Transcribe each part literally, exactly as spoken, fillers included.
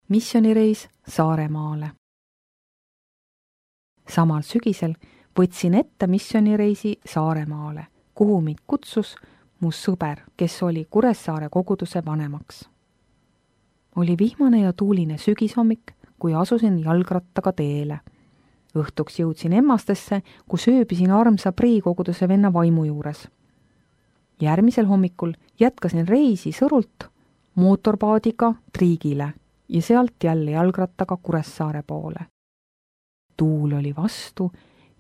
Missioonireis Saaremaale. Samal sügisel võtsin ette missioonireisi Saaremaale, kuhu mind kutsus mu sõber, kes oli Kuressaare koguduse vanemaks. Oli vihmane ja tuuline sügishommik, kui asusin jalgrattaga teele. Õhtuks jõudsin Emmastesse, kus ööbisin armsa Prii koguduse venna vaimu juures. Järgmisel hommikul jätkasin reisi Sõrult mootorpaadiga Triigile ja sealt jälle jalgrattaga Kuressaare poole. Tuul oli vastu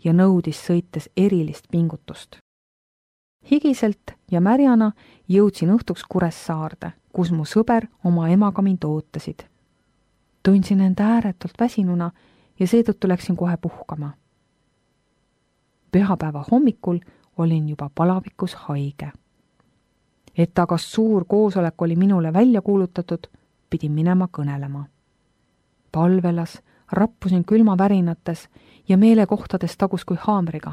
ja nõudis sõites erilist pingutust. Higiselt ja märjana jõudsin õhtuks Kuressaarde, kus mu sõber oma emaga mind ootasid. Tundsin end ääretult väsinuna ja seetõttu läksin kohe puhkama. Pühapäeva hommikul olin juba palavikus haige. Et aga suur koosolek oli minule välja kuulutatud, pidin minema kõnelema. Palvelas, rappusin külmavärinates ja meelekohtades tagus kui haamriga,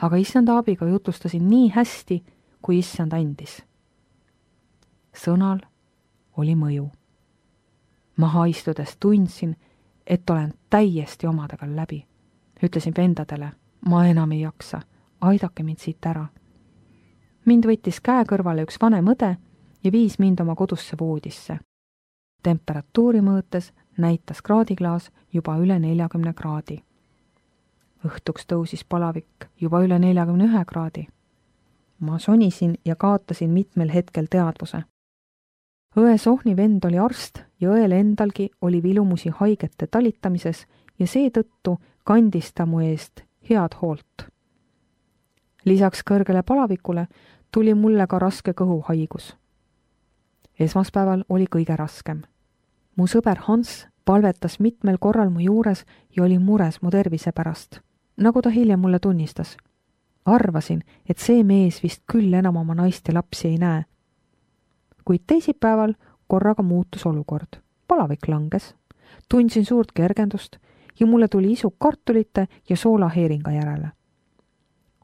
aga issanda abiga jutustasin nii hästi, kui issand andis. Sõnal oli mõju. Maha istudes tundsin, et olen täiesti omadega läbi. Ütlesin vendadele, ma enam ei jaksa, aidake mind siit ära. Mind võttis käe kõrvale üks vanem õde ja viis mind oma kodusse voodisse. Temperatuuri mõõtes näitas kraadiklaas juba üle neljakümne kraadi. Õhtuks tõusis palavik juba üle neljakümne ühe kraadi. Ma sonisin ja kaotasin mitmel hetkel teadvuse. Õe Sohni vend oli arst ja õel endalgi oli vilumusi haigete talitamises ja seetõttu kandis ta mu eest head hoolt. Lisaks kõrgele palavikule tuli mulle ka raske kõhuhaigus. Esmaspäeval oli kõige raskem. Mu sõber Hans palvetas mitmel korral mu juures ja oli mures mu tervise pärast, nagu ta hiljem mulle tunnistas. Arvasin, et see mees vist küll enam oma naist ja lapsi ei näe. Kuid teisipäeval korraga muutus olukord. Palavik langes, tundsin suurt kergendust ja mulle tuli isu kartulite ja soolaheeringa järele.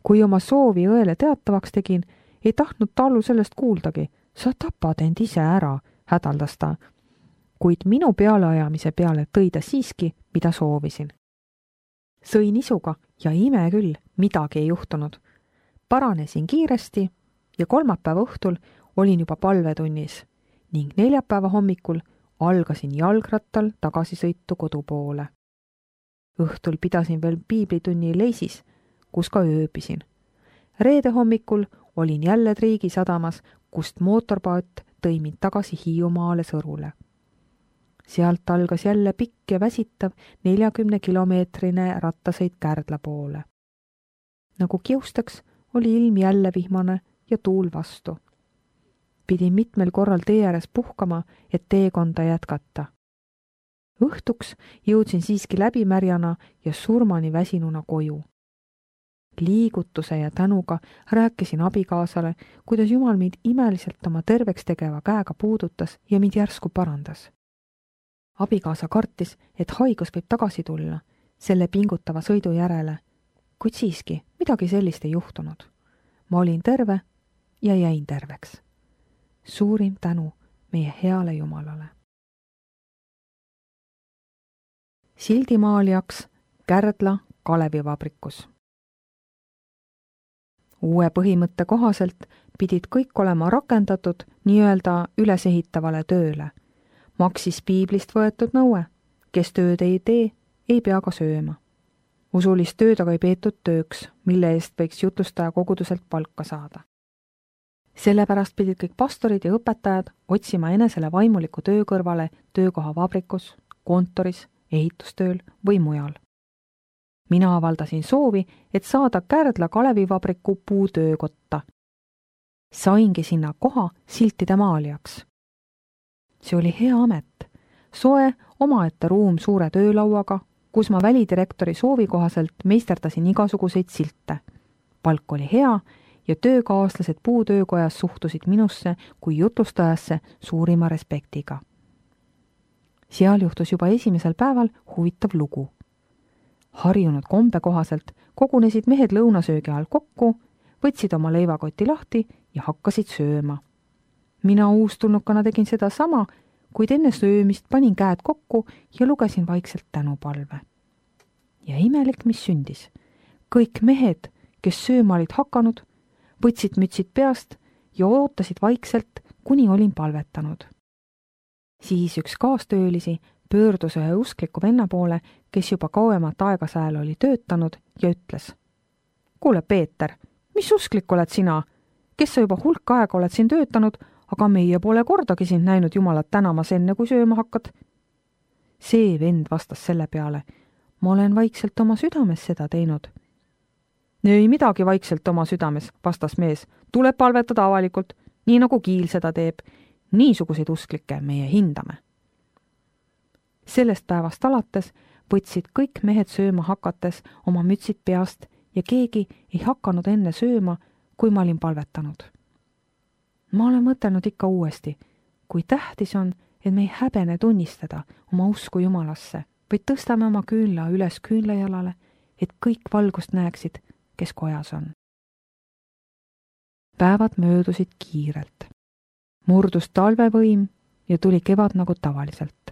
Kui oma soovi õele teatavaks tegin, ei tahtnud tallu sellest kuuldagi. Sa tapad end ise ära, hädaldas ta. Kuid minu pealeajamise peale tõi ta siiski, mida soovisin. Sõin isuga ja ime küll, midagi ei juhtunud. Paranesin kiiresti ja kolmapäeva õhtul olin juba palvetunnis ning neljapäeva hommikul algasin jalgrattal tagasisõitu kodu poole. Õhtul pidasin veel piiblitunni Leisis, kus ka ööbisin. Reede hommikul olin jälle Triigi sadamas, kust mootorpaat tõi mind tagasi Hiiumaale Sõrule. Sealt algas jälle pikk ja väsitav neljakümne kilomeetrine rattasõit Kärdla poole. Nagu kiustaks, oli ilm jälle vihmane ja tuul vastu. Pidin mitmel korral tee ääres puhkama, et teekonda jätkata. Õhtuks jõudsin siiski läbimärjana ja surmani väsinuna koju. Liigutuse ja tänuga rääkisin abikaasale, kuidas Jumal mind imeliselt oma terveks tegeva käega puudutas ja mind järsku parandas. Abikaasa kartis, et haigus võib tagasi tulla selle pingutava sõidu järele, kuid siiski midagi sellist ei juhtunud. Ma olin terve ja jäin terveks. Suurim tänu meie heale Jumalale. Sildimaalijaks Kärdla Kalevivabrikus. Uue põhimõtte kohaselt pidid kõik olema rakendatud nii-öelda ülesehitavale tööle. Maksis piiblist võetud nõue, kes tööd ei tee, ei pea ka sööma. Usulist tööd aga ei peetud tööks, mille eest võiks jutlustaja koguduselt palka saada. Sellepärast pidid kõik pastorid ja õpetajad otsima enesele vaimuliku töö kõrvale töökoha vabrikus, kontoris, ehitustööl või mujal. Mina avaldasin soovi, et saada Kärdla Kalevivabriku puutöökotta. Saingi sinna koha siltide maalijaks. See oli hea amet. Soe omaette ruum suure töölauaga, kus ma välidirektori soovi kohaselt meisterdasin igasuguseid silte. Palk oli hea ja töökaaslased puutöökojas suhtusid minusse kui jutlustajasse suurima respektiga. Seal juhtus juba esimesel päeval huvitav lugu. Harjunud kombe kohaselt kogunesid mehed lõunasöögi all kokku, võtsid oma leivakoti lahti ja hakkasid sööma. Mina uustulnukana tegin seda sama, kuid enne söömist panin käed kokku ja lugesin vaikselt tänupalve. Ja imelik, mis sündis. Kõik mehed, kes sööma olid hakanud, võtsid mütsid peast ja ootasid vaikselt, kuni olin palvetanud. Siis üks kaastöölisi pöördus ühe uskliku venna poole, kes juba kauemat aega sääl oli töötanud ja ütles: kuule, Peeter, mis usklik oled sina? Kes sa juba hulk aega oled siin töötanud, aga meie pole kordagi sind näinud Jumalat tänamas enne, kui sööma hakkad? See vend vastas selle peale: ma olen vaikselt oma südames seda teinud. Ei midagi vaikselt oma südames, vastas mees, tuleb palvetada avalikult, nii nagu Kiil seda teeb. Niisuguseid usklikke meie hindame. Sellest päevast alates võtsid kõik mehed sööma hakates oma mütsid peast ja keegi ei hakanud enne sööma, kui ma olin palvetanud. Ma olen mõtelnud ikka uuesti, kui tähtis on, et me ei häbene tunnistada oma usku Jumalasse, vaid tõstame oma küünla üles küünlajalale, et kõik valgust näeksid, kes kojas on. Päevad möödusid kiirelt. Murdus talvevõim ja tuli kevad nagu tavaliselt.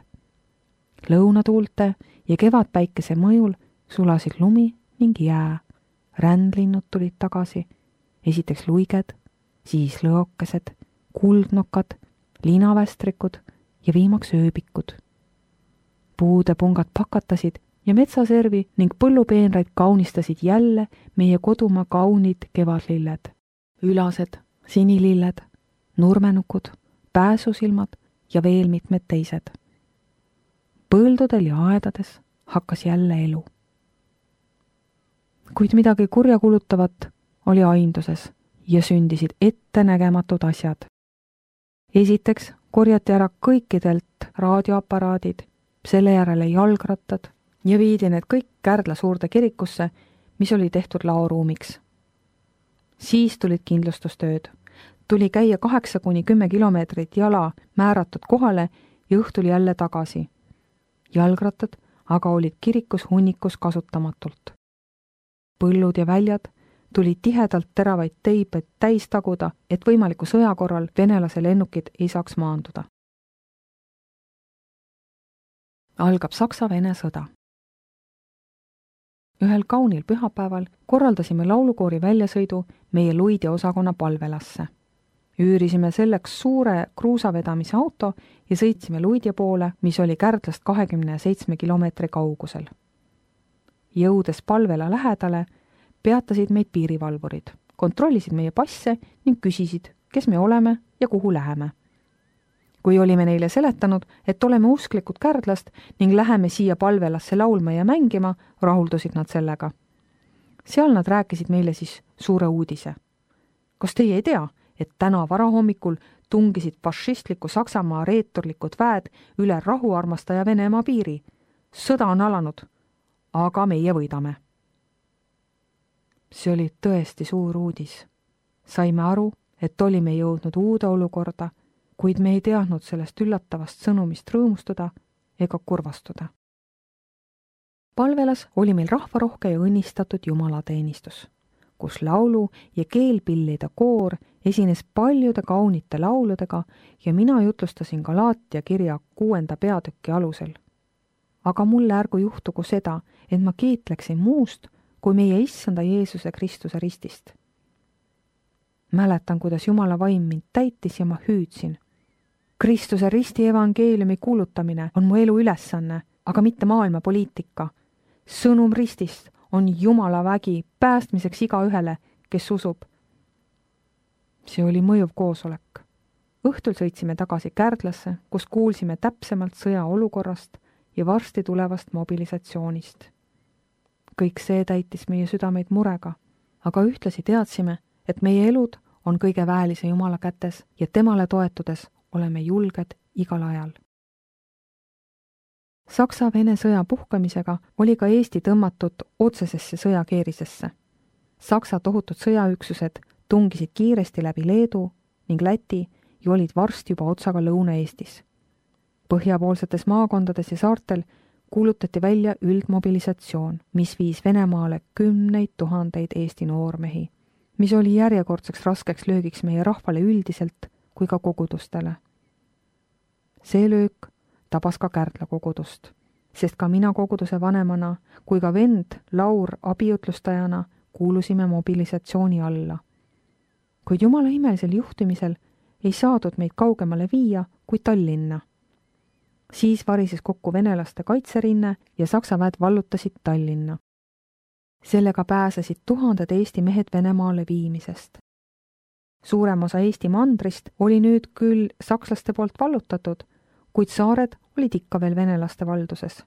Lõunatuulte ja kevadpäikese mõjul sulasid lumi ning jää. Rändlinnud tulid tagasi, esiteks luiged, siis lõokesed, kuldnokad, linavästrikud ja viimaks ööbikud. Puude pungad pakatasid ja metsaservi ning põllupeenraid kaunistasid jälle meie kodumaa kaunid kevadlilled. Ülased, sinililled, nurmenukud, pääsusilmad ja veel mitmed teised. Põldudel ja aedades hakkas jälle elu. Kuid midagi kurjakulutavat oli ainduses ja sündisid ettenägematud asjad. Esiteks korjati ära kõikidelt raadioaparaadid, selle järele jalgrattad ja viidi need kõik Kärdla suurde kirikusse, mis oli tehtud laoruumiks. Siis tulid kindlustustööd. Tuli käia kaheksa kuni kümme kilomeetrit jala määratud kohale ja õhtul jälle tagasi. Jalgrattad aga olid kirikus hunnikus kasutamatult. Põllud ja väljad tuli tihedalt teravaid teibed täis taguda, et võimaliku sõja korral venelase lennukid ei saaks maanduda. Algab Saksa-Vene sõda. Ühel kaunil pühapäeval korraldasime laulukoori väljasõidu meie Luidi osakonna palvelasse. Üürisime selleks suure kruusavedamise auto ja sõitsime Luidja poole, mis oli Kärdlast kahekümne seitsme kilomeetri kaugusel. Jõudes palvela lähedale, peatasid meid piirivalvurid, kontrollisid meie passe ning küsisid, kes me oleme ja kuhu läheme. Kui olime neile seletanud, et oleme usklikud Kärdlast ning läheme siia palvelasse laulma ja mängima, rahuldusid nad sellega. Seal nad rääkisid meile siis suure uudise. Kas teie ei tea, et täna varahommikul tungisid fašistliku Saksamaa reeturlikud väed üle rahuarmastaja Venemaa piiri? Sõda on alanud, aga meie võidame. See oli tõesti suur uudis. Saime aru, et olime jõudnud uude olukorda, kuid me ei teadnud sellest üllatavast sõnumist rõõmustada ega kurvastuda. Palvelas oli meil rahvarohke ja õnnistatud jumalateenistus, kus laulu- ja keelpillide koor esines paljude kaunite lauludega ja mina jutlustasin Galaatia kirja kuuenda peatüki alusel. Aga mulle ärgu juhtugu seda, et ma kiitleksin muust kui meie issanda Jeesuse Kristuse ristist. Mäletan, kuidas Jumala vaim mind täitis ja ma hüüdsin. Kristuse risti evangeeliumi kuulutamine on mu elu ülesanne, aga mitte maailma poliitika. Sõnum ristist on Jumala vägi päästmiseks igaühele, kes usub. See oli mõjuv koosolek. Õhtul sõitsime tagasi Kärdlasse, kus kuulsime täpsemalt sõja olukorrast ja varsti tulevast mobilisatsioonist. Kõik see täitis meie südameid murega, aga ühtlasi teadsime, et meie elud on kõige väelise Jumala kätes ja temale toetudes oleme julged igal ajal. Saksa-Vene sõja puhkamisega oli ka Eesti tõmmatud otsesesse sõjakeerisesse. Saksa tohutud sõjaüksused tungisid kiiresti läbi Leedu ning Läti ja olid varsti juba otsaga Lõuna-Eestis. Põhjapoolsetes maakondades ja saartel kuulutati välja üldmobilisatsioon, mis viis Venemaale kümneid tuhandeid Eesti noormehi, mis oli järjekordseks raskeks löögiks meie rahvale üldiselt kui ka kogudustele. see löök tabas ka Kärdla kogudust, sest ka mina koguduse vanemana kui ka vend Laur abiutlustajana kuulusime mobilisatsiooni alla. Kuid Jumala imelisel juhtimisel ei saadud meid kaugemale viia kui Tallinna. Siis varises kokku venelaste kaitserinne ja Saksa väed vallutasid Tallinna. Sellega pääsesid tuhanded Eesti mehed Venemaale viimisest. Suurem osa Eesti mandrist oli nüüd küll sakslaste poolt vallutatud, kuid saared olid ikka veel venelaste valduses.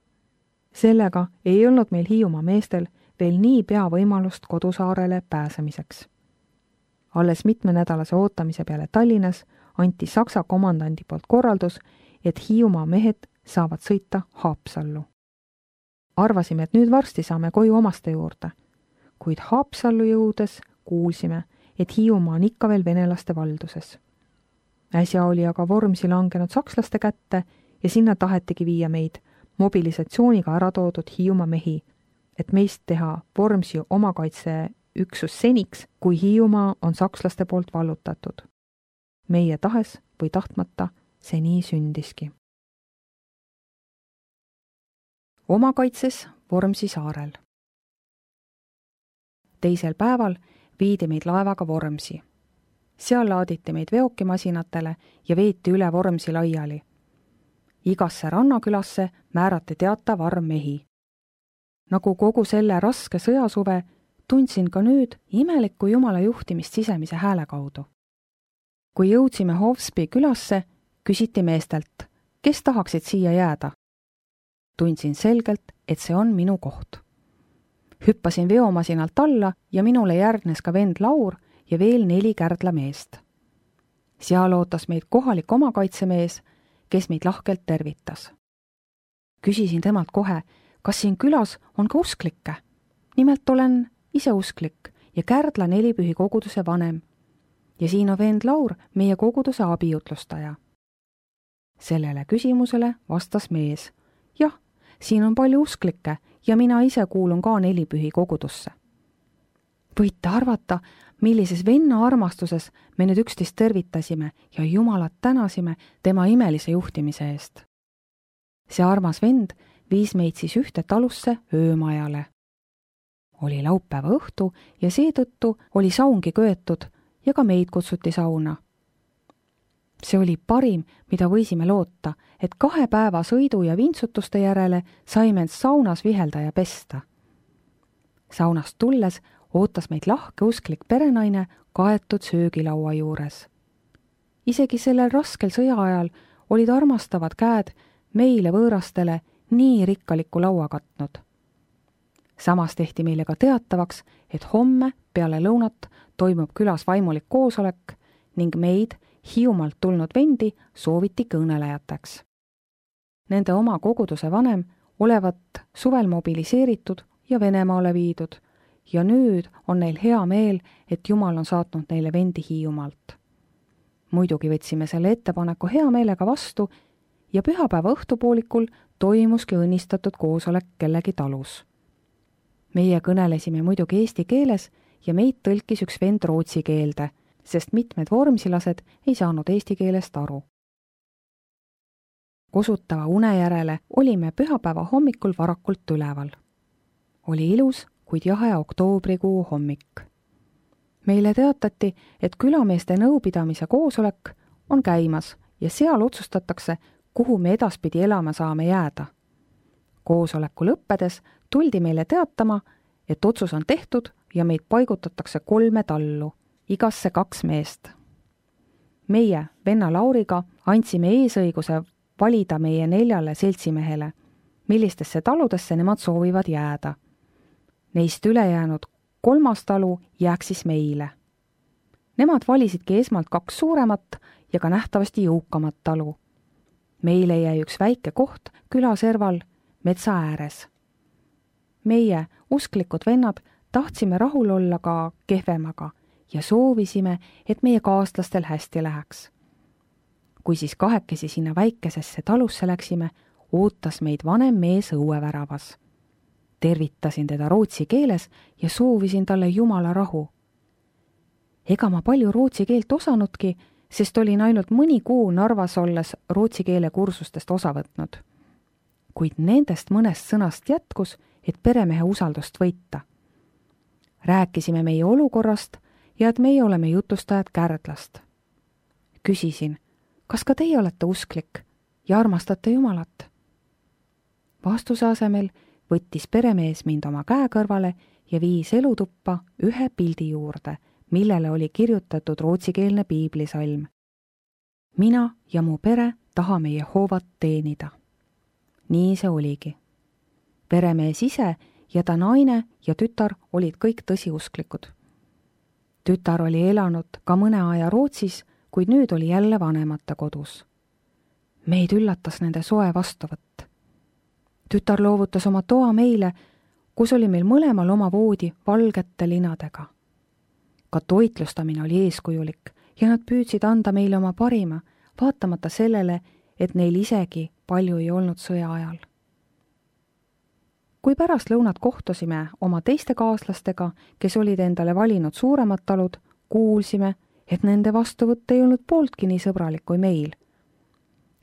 Sellega ei olnud meil Hiiumaa meestel veel nii pea võimalust kodusaarele pääsemiseks. Alles mitmenädalase ootamise peale Tallinnas anti Saksa komandandi poolt korraldus, et Hiiumaa mehed saavad sõita Haapsallu. Arvasime, et nüüd varsti saame koju omaste juurde, kuid Haapsallu jõudes kuulsime, et Hiiumaa on ikka veel venelaste valduses. Äsja oli aga Vormsi langenud sakslaste kätte ja sinna tahetigi viia meid mobilisatsiooniga ära toodud Hiiumaa mehi, et meist teha Vormsi omakaitseüksus seniks, kui Hiiumaa on sakslaste poolt vallutatud. Meie tahes või tahtmata see nii sündiski. Omakaitses Vormsi saarel. Teisel päeval viidi meid laevaga Vormsi. Seal laaditi meid veokimasinatele ja veeti üle Vormsi laiali. Igasse rannakülasse määrati teatav arv mehi. Nagu kogu selle raske sõjasuve, tundsin ka nüüd imelikku Jumala juhtimist sisemise hääle kaudu. Kui jõudsime Hovspi külasse, küsiti meestelt, kes tahaksid siia jääda. Tundsin selgelt, et see on minu koht. Hüppasin veomasinalt alla ja minule järgnes ka vend Laur ja veel neli Kärdla meest. Seal ootas meid kohalik omakaitsemees, kes meid lahkelt tervitas. Küsisin temalt kohe, kas siin külas on ka usklikke. Nimelt olen ise usklik ja Kärdla nelipühi koguduse vanem. Ja siin on vend Laur, meie koguduse abiutlustaja. Sellele küsimusele vastas mees. Jah, siin on palju usklikke ja mina ise kuulun ka nelipühi kogudusse. Võite arvata, millises venna armastuses me nüüd üksteist tervitasime ja Jumalat tänasime tema imelise juhtimise eest. See armas vend viis meid siis ühte talusse öömajale. Oli laupäeva õhtu ja seetõttu oli saungi köetud ja ka meid kutsuti sauna. See oli parim, mida võisime loota, et kahe päeva sõidu ja vintsutuste järele saime end saunas vihelda ja pesta. Saunast tulles ootas meid lahke usklik perenaine kaetud söögilaua juures. Isegi sellel raskel sõja ajal olid armastavad käed meile võõrastele nii rikkaliku laua katnud. Samas tehti meile ka teatavaks, et homme peale lõunat toimub külas vaimulik koosolek ning meid Hiiumaalt tulnud vendi sooviti kõnelejateks. Nende oma koguduse vanem olevat suvel mobiliseeritud ja Venemaale viidud ja nüüd on neil hea meel, et Jumal on saatnud neile vendi Hiiumaalt. Muidugi võtsime selle ettepaneku hea meelega vastu ja pühapäeva õhtupoolikul toimuski õnnistatud koosolek kellegi talus. Meie kõnelesime muidugi eesti keeles ja meid tõlkis üks vend rootsi keelde, sest mitmed vormsilased ei saanud eesti keelest aru. Kosutava une järele olime pühapäeva hommikul varakult üleval. Oli ilus, kuid jahe oktoobrikuu hommik. Meile teatati, et külameeste nõupidamise koosolek on käimas ja seal otsustatakse, kuhu me edaspidi elama saame jääda. Koosoleku lõppedes tuldi meile teatama, et otsus on tehtud ja meid paigutatakse kolme tallu, igasse kaks meest. Meie, venna Lauriga, andsime eesõiguse valida meie neljale seltsimehele, millistesse taludesse nemad soovivad jääda. Neist ülejäänud kolmas talu jääks siis meile. Nemad valisidki esmalt kaks suuremat ja ka nähtavasti jõukamat talu. Meile jäi üks väike koht külaserval metsa ääres. Meie, usklikud vennad, tahtsime rahul olla ka kehvemaga ja soovisime, et meie kaaslastel hästi läheks. Kui siis kahekesi sinna väikesesse talusse läksime, ootas meid vanem mees õueväravas. Tervitasin teda rootsi keeles ja soovisin talle Jumala rahu. Ega ma palju rootsi keelt osanudki, sest olin ainult mõni kuu Narvas olles rootsi keele kursustest osa võtnud. Kuid nendest mõnest sõnast jätkus, et peremehe usaldust võita. Rääkisime meie olukorrast ja et meie oleme jutustajad Kärdlast. Küsisin, kas ka teie olete usklik ja armastate Jumalat? Vastuse asemel võttis peremees mind oma käe kõrvale ja viis elutuppa ühe pildi juurde, millele oli kirjutatud rootsikeelne piiblisalm. Mina ja mu pere tahame Jehovat teenida. Nii see oligi. Peremees ise ja ta naine ja tütar olid kõik tõsiusklikud. Tütar oli elanud ka mõne aja Rootsis, kuid nüüd oli jälle vanemate kodus. Meid üllatas nende soe vastuvõtt. Tütar loovutas oma toa meile, kus oli meil mõlemal oma voodi valgete linadega. Ka toitlustamine oli eeskujulik ja nad püüdsid anda meile oma parima, vaatamata sellele, et neil isegi palju ei olnud sõja ajal. Kui pärast lõunat kohtusime oma teiste kaaslastega, kes olid endale valinud suuremad talud, kuulsime, et nende vastuvõtt ei olnud pooltki nii sõbralik kui meil.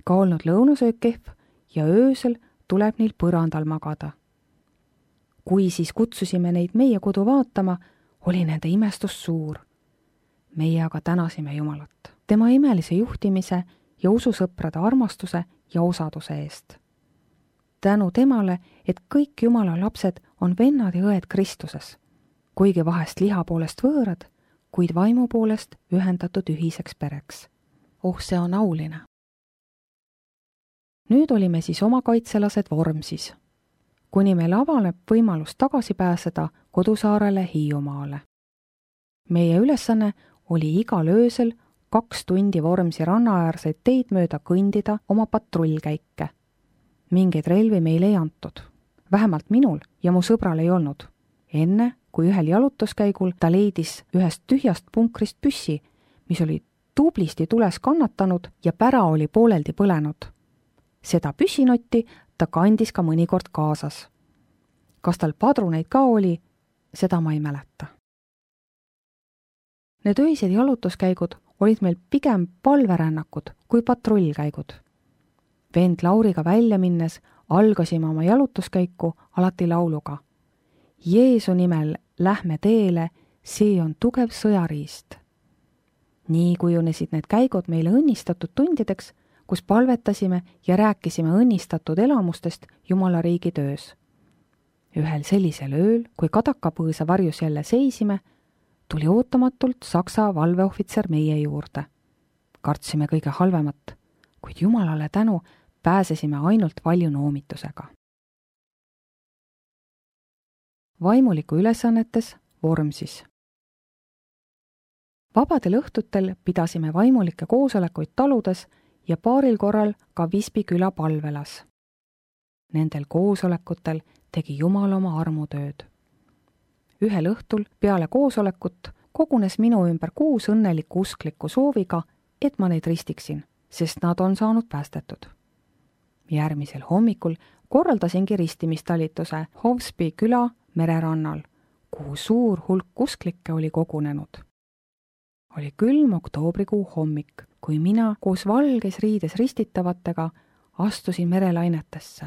Ka olnud lõunasöök kehv ja öösel tuleb neil põrandal magada. Kui siis kutsusime neid meie kodu vaatama, oli nende imestus suur. Meie aga tänasime Jumalat, tema imelise juhtimise ja ususõprade armastuse ja osaduse eest. Tänu temale, et kõik Jumala lapsed on vennad ja õed Kristuses, kuigi vahest liha poolest võõrad, kuid vaimu poolest ühendatud ühiseks pereks. Oh, see on auline. Nüüd olime siis oma kaitselased Vormsis, kuni meil avaneb võimalus tagasi pääseda kodusaarele Hiiumaale. Meie ülesanne oli igal öösel kaks tundi Vormsi rannaäärseid teid mööda kõndida oma patrullkäike. Mingeid relvi meil ei antud. Vähemalt minul ja mu sõbral ei olnud. Enne, kui ühel jalutuskäigul ta leidis ühest tühjast punkrist püssi, mis oli tublisti tules kannatanud ja pära oli pooleldi põlenud. Seda püssinotti ta kandis ka mõnikord kaasas. Kas tal padruneid ka oli, seda ma ei mäleta. Need öised jalutuskäigud olid meil pigem palverännakud kui patrullkäigud. Vend Lauriga välja minnes algasime oma jalutuskäiku alati lauluga. Jeesu nimel lähme teele, see on tugev sõjariist. Nii kujunesid need käigud meile õnnistatud tundideks, kus palvetasime ja rääkisime õnnistatud elamustest Jumala riigi töös. Ühel sellisel ööl, kui kadakapõõsa varjus jälle seisime, tuli ootamatult Saksa valveohvitser meie juurde. Kartsime kõige halvemat, kuid Jumalale tänu pääsesime ainult valju noomitusega. Vaimuliku ülesannetes Vormsis. Vabadel õhtutel pidasime vaimulikke koosolekuid taludes ja paaril korral ka Visby küla palvelas. Nendel koosolekutel tegi Jumal oma armutööd. Ühel õhtul peale koosolekut kogunes minu ümber kuus õnnelikku usklikku sooviga, et ma neid ristiksin, sest nad on saanud päästetud. Järgmisel hommikul korraldasingi ristimistalituse Hovsby küla mererannal, kuhu suur hulk usklikke oli kogunenud. Oli külm oktoobrikuu hommik, kui mina koos valges riides ristitavatega astusin merelainetesse.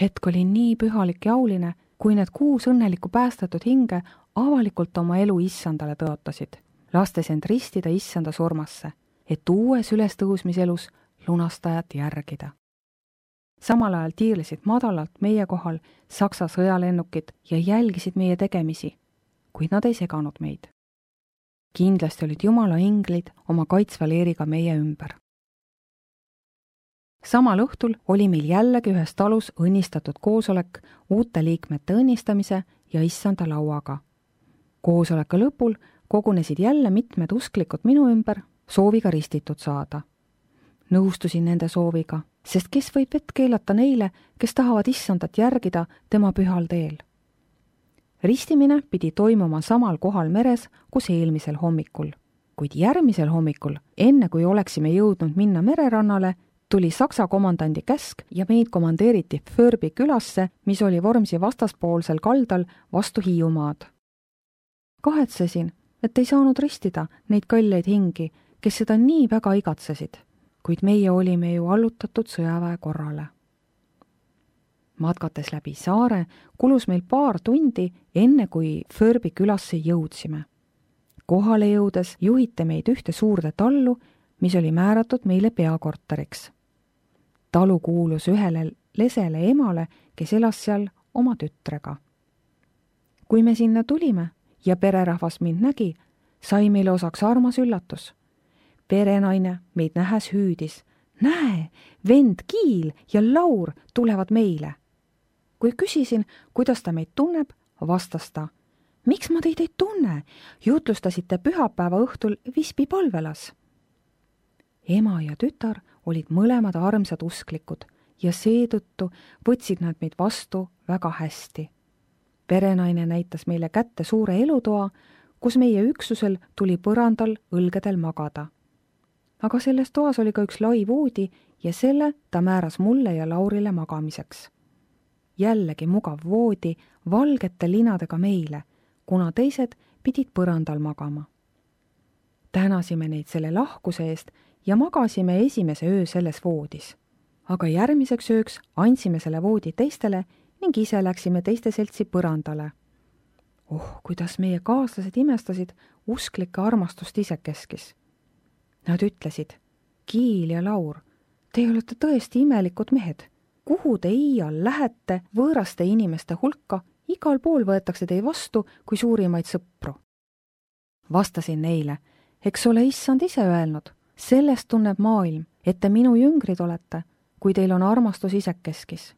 Hetk oli nii pühalik ja auline, kui need kuus õnnelikku päästetud hinge avalikult oma elu issandale tõotasid, lastes end ristida issanda surmasse, et uues ülestõusmiselus lunastajat järgida. Samal ajal tiirlesid madalalt meie kohal Saksa sõjalennukid ja jälgisid meie tegemisi, kuid nad ei seganud meid. Kindlasti olid Jumala inglid oma kaitsva leeriga meie ümber. Samal õhtul oli meil jällegi ühes talus õnnistatud koosolek uute liikmete õnnistamise ja issanda lauaga. Koosoleku lõpul kogunesid jälle mitmed usklikud minu ümber sooviga ristitud saada. Nõustusin nende sooviga, sest kes võib vett keelata neile, kes tahavad issandat järgida tema pühal teel. Ristimine pidi toimuma samal kohal meres, kus eelmisel hommikul, kuid järgmisel hommikul, enne kui oleksime jõudnud minna mererannale, tuli Saksa komandandi käsk ja meid komandeeriti Förbi külasse, mis oli Vormsi vastaspoolsel kaldal vastu Hiiumaad. Kahetsesin, et ei saanud ristida neid kalleid hingi, kes seda nii väga igatsesid, kuid meie olime ju allutatud sõjaväe korrale. Matkates läbi saare kulus meil paar tundi, enne kui Förbi külasse jõudsime. Kohale jõudes juhiti meid ühte suurde tallu, mis oli määratud meile peakorteriks. Talu kuulus ühele lesele emale, kes elas seal oma tütrega. Kui me sinna tulime ja pererahvas mind nägi, sai meile osaks armas üllatus. Perenaine meid nähes hüüdis: näe, vend Kiil ja Laur tulevad meile. Kui küsisin, kuidas ta meid tunneb, vastas ta: miks ma teid ei tunne? Jutlustasite pühapäeva õhtul Vispi palvelas. Ema ja tütar olid mõlemad armsad usklikud ja seetõttu võtsid nad meid vastu väga hästi. Perenaine näitas meile kätte suure elutoa, kus meie üksusel tuli põrandal õlgedel magada. Aga selles toas oli ka üks lai voodi ja selle ta määras mulle ja Laurile magamiseks. Jällegi mugav voodi valgete linadega meile, kuna teised pidid põrandal magama. Tänasime neid selle lahkuse eest ja magasime esimese öö selles voodis. Aga järgmiseks ööks andsime selle voodi teistele ning ise läksime teiste seltsi põrandale. Oh, kuidas meie kaaslased imestasid usklike armastust isekeskis. Nad ütlesid: Kiil ja Laur, te olete tõesti imelikud mehed. Kuhu te iial lähete võõraste inimeste hulka, igal pool võetakse teid vastu kui suurimaid sõpru. Vastasin neile: eks ole issand ise öelnud, sellest tunneb maailm, et te minu jüngrid olete, kui teil on armastus isekeskis.